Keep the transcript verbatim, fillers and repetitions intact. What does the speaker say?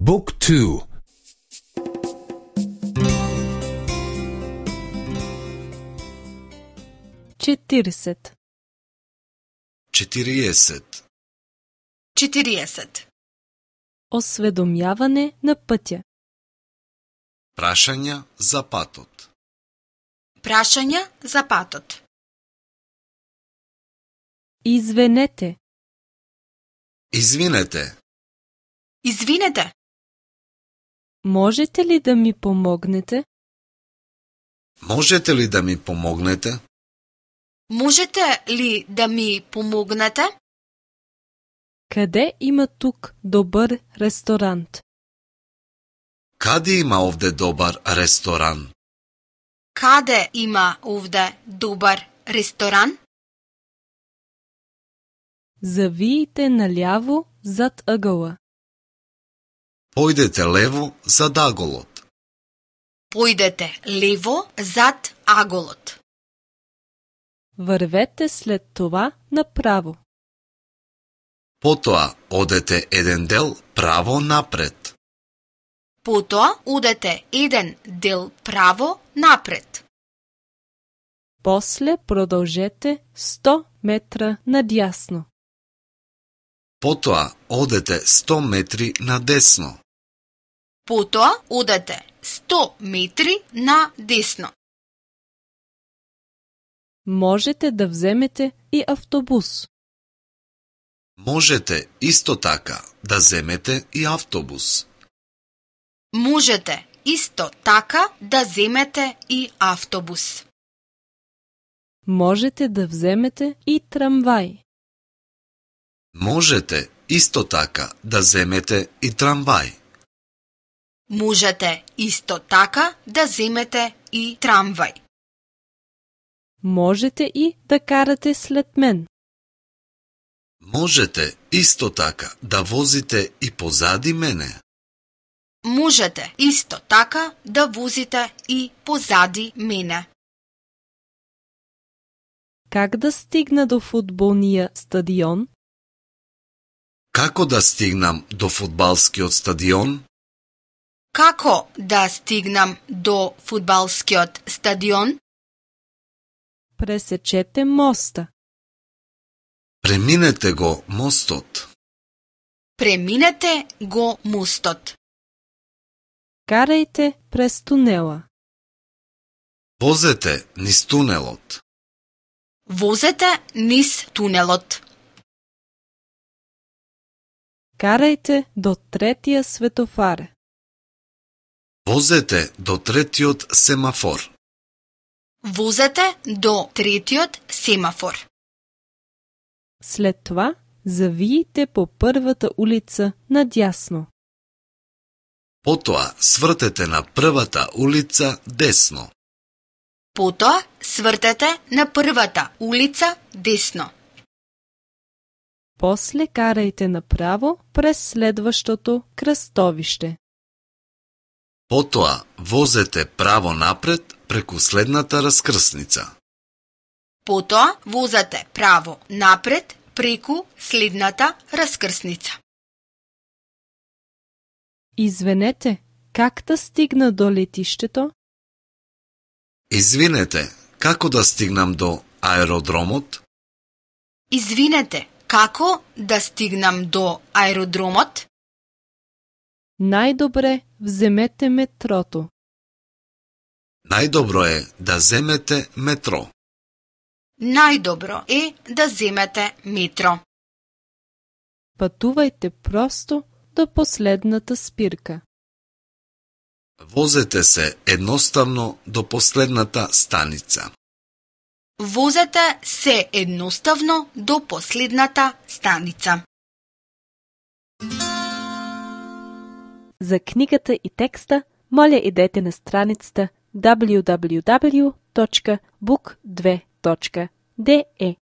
Book two. четиридесет. четириесет. четириесет. Осведомјаване на пътя. Прашања за патот. Прашања за патот. Извинете. Извинете. Извинете. Можете ли да ми помогнете? Можете ли да ми помогнете? Можете ли да ми помогнете? Къде има тук добър ресторант? Каде има овде добар ресторан? Каде има овде добар ресторан? Завиите наляво зад ъгъла. Појдете лево зад аголот. Појдете лево зад аголот. Вървете след това направо. Потоа одете еден дел право напред. Потоа одете еден дел право напред. После продължете сто метра надясно. Потоа одете сто метри надесно. Потоа одете сто метри на десно. Можете да вземете и автобус. Можете исто така да земете и автобус. Можете исто така да земете и автобус. Можете да вземете и трамвај. Можете исто така да земете и трамвај. Можете исто така да земете и трамвај. Можете и да карате след мен. Можете исто така да возите и позади мене. Можете исто така да возите и позади мене. Как да стигна до фудбалния стадион? Како да стигнам до фудбалскиот стадион? Како да стигнам до фудбалскиот стадион? Пресечете моста. Преминете го мостот. Преминете го мостот. Карайте през тунела. Возете низ тунелот. Возете низ тунелот. Карайте до третия светофар. Возете до третиот семафор. Возете до третиот семафор. След това завиите по първата улица надясно. Потоа свртете на првата улица десно. Потоа свртете на првата улица десно. После карайте направо през следващото кръстовище. Потоа возете право напред преку следната раскрсница. Потоа возете право напред преку следната раскрсница. Извинете, как да стигна до летището? Извинете, како да стигнам до аеродромот? Извинете, како да стигнам до аеродромот? Най-добре вземете метрото. Најдобро е да земете метро. Најдобро е да земете метро. Пътувайте просто до последната спирка. Возете се едноставно до последната станица. Возете се едноставно до последната станица. За книгата и текста, моля идете на страницата дабљу дабљу дабљу точка бук две точка де е.